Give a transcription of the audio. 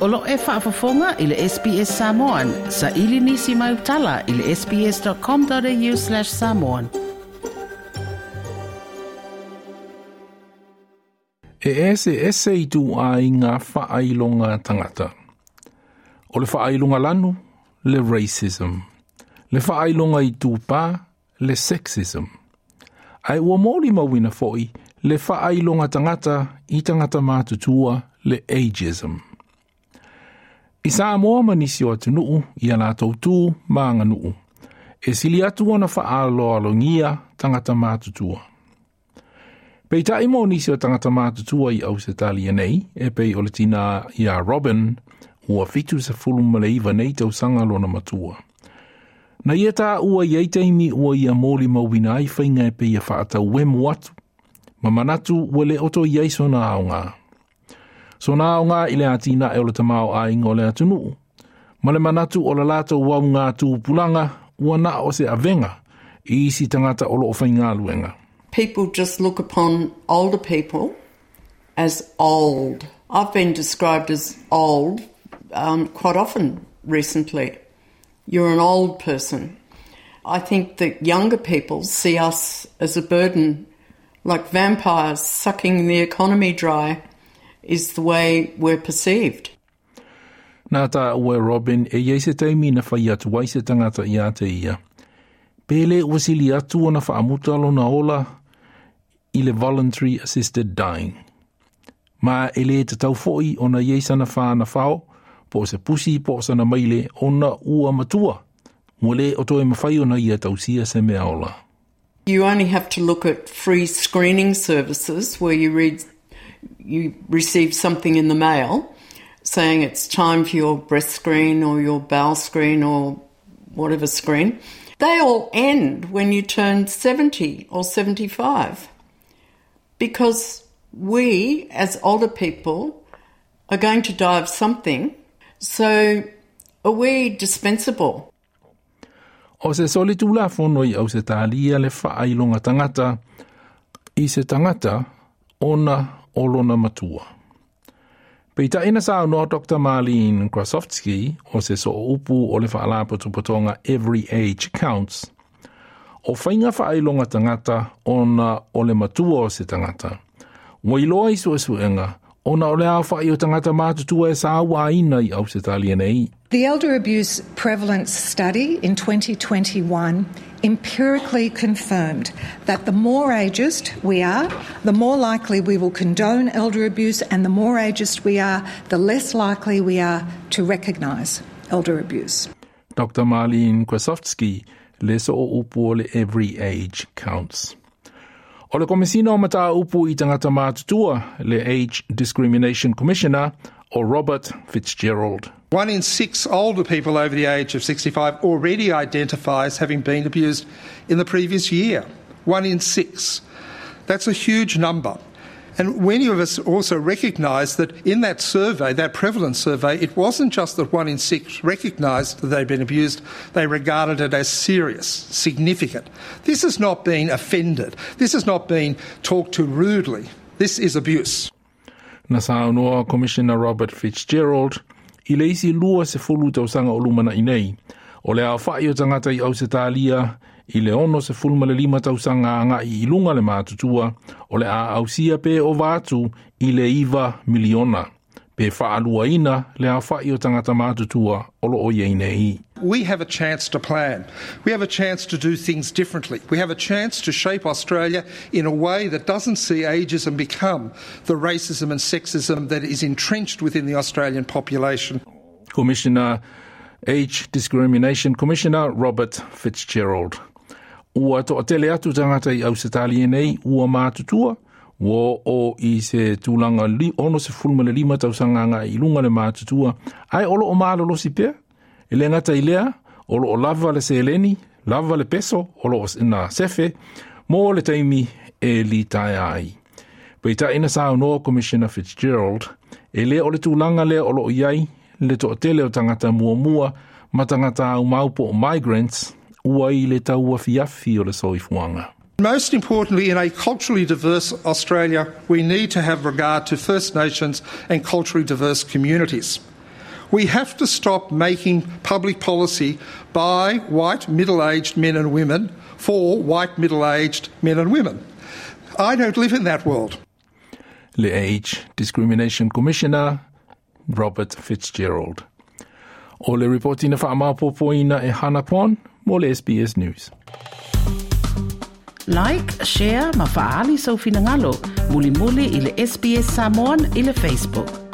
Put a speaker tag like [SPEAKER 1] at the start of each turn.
[SPEAKER 1] O lo e faafofoga i le SBS Samoan. Saili nisi mau tala i le sbs.com.au/samoan.
[SPEAKER 2] E ese ese i tu aiga faailoga tagata. O le faailoga lanu, le racism. Le faailoga itupa, le sexism. Ae ua molimauina foi le faailoga tagata i tagata matutua, le ageism. I Samoa ma nisi o atunuu i a latou tu ma aganuu, e sili atu ona faaaloalogia tagata matutua. Peitai mo nisi o tagata matutua i Ausetalia nei, e pei o le tina ia Robin, ua 79 nei tausaga lona matua. Na ia taua i ai taimi ua ia molimauina ai faiga e pei e faatauemu atu, ma manatu ua le o toe i ai sona aoga. Sona aoga i le atinae o le tamaoaiga o le atunuu, ma le manatu o le latou auga tupulaga ua na o se avega i isi tagata o loo faigaluega.
[SPEAKER 3] People just look upon older people as old. I've been described as old quite often recently. You're an old person. I think that younger people see us as a burden, like vampires sucking the economy dry is the way we're perceived.
[SPEAKER 2] Na taua e Robin e iai se taimi na fai atu ai se tagata ia te ia. Pe le ua sili atu ona faamuta lona ola i le voluntary assisted dying. Ma e le tatau foi ona iai sana whāna whao, po o se pusi po o sana maile ona ua matua. Ua le o toe mawhai ona ia tausia se mea ola.
[SPEAKER 3] You only have to look at free screening services where you read, you receive something in the mail saying it's time for your breast screen or your bowel screen or whatever screen. They all end when you turn 70 or 75 because we, as older people, are going to die of something. So are we dispensable?
[SPEAKER 2] O se solitulafono i Ausetalia le faailoga tagata i se tagata ona o lona matua. Peitai na saunoa Dr. Marlene Krasovsky o se sooupu o le faalapotopotoga Every Age Counts. O faiga faailoga tagata ona o le matua o se tagata. Ua iloa i suesuega ona o le aofai o tagata matutua e sauaina i Ausetalia nei.
[SPEAKER 4] The Elder Abuse Prevalence Study in 2021 empirically confirmed that the more ageist we are, the more likely we will condone elder abuse, and the more ageist we are, the less likely we are to recognise elder abuse.
[SPEAKER 2] Dr. Marlene Krasovsky, le sooupu o le Every Age Counts. O le Komesina o Mataupu i Tagata Matutua, le Age Discrimination Commissioner, o Robert Fitzgerald.
[SPEAKER 5] 1 in 6 older people over the age of 65 already identify as having been abused in the previous year. 1 in 6. That's a huge number. And many of us also recognise that in that survey, that prevalence survey, it wasn't just that 1 in 6 recognised that they'd been abused, they regarded it as serious, significant. This has not been offended. This has not been talked to rudely. This is abuse.
[SPEAKER 2] Na saunoa Commissioner Robert Fitzgerald i le isi 20 tausaga o lumanai nei. O le aofai o tagata i Ausetalia i le 65 tausaga agai i luga le matutua, o le a ausia pe ova atu i le 9 miliona. Pe faaluaina le aofai o tagata matutua o lo o iai nei.
[SPEAKER 5] We have a chance to plan. We have a chance to do things differently. We have a chance to shape Australia in a way that doesn't see ageism become the racism and sexism that is entrenched within the Australian population.
[SPEAKER 2] Commissioner Age Discrimination Commissioner Robert Fitzgerald. Ua toatele atu tagata i Ausetalia nei ua matutua, ua o i se tulaga 65 tausaga agai i luga le matutua, ae o lo o malolosi pea. E le gata i lea, o lo o lava le seleni, lava le peso, o lo o na sefe, mo le taimi e litaea ai. Peitai na saunoa Commissioner Fitzgerald, e le o le tulaga lea o lo o i ai le toatele o tagata muamua ma tagata aumau po o migrants, ua i le tauafiafi o le soifuaga.
[SPEAKER 5] Most importantly, in a culturally diverse Australia, we need to have regard to First Nations and culturally diverse communities. We have to stop making public policy by white middle-aged men and women for white middle-aged men and women. I don't live in that world.
[SPEAKER 2] Le Age Discrimination Commissioner Robert Fitzgerald. O le ripoti na whaamapopoina e Hana Pon mo le SBS News.
[SPEAKER 1] Like, share, ma faali sau finangalo, muli muli i le SBS Samoan i le Facebook.